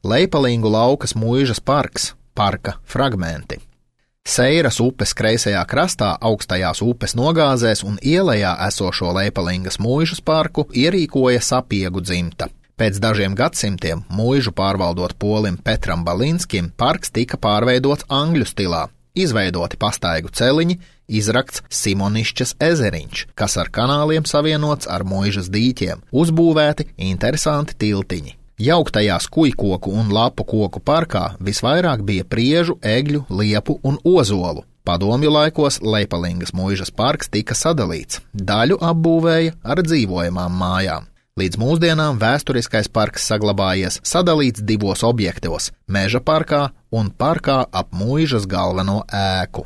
Leipalingu laukas muižas parks, parka fragmenti. Seiras upes kreisajā krastā augstajās upes nogāzēs un ielejā esošo Leipalingas muižas parku ierīkoja Sapiegu dzimta. Pēc dažiem gadsimtiem muižu pārvaldot polim Petram Balinskim parks tika pārveidots angļu stilā, izveidoti pastaigu celiņi, izrakts Simonišķas ezeriņš, kas ar kanāliem savienots ar muižas dīķiem, uzbūvēti interesanti tiltiņi. Jauktajās kujkoku un lapu koku parkā visvairāk bija priežu, egļu, liepu un ozolu. Padomju laikos Leipalingas muižas parks tika sadalīts, daļu apbūvēja ar dzīvojamām mājām. Līdz mūsdienām vēsturiskais parks saglabājies sadalīts divos objektos – Meža parkā un parkā ap muižas galveno ēku.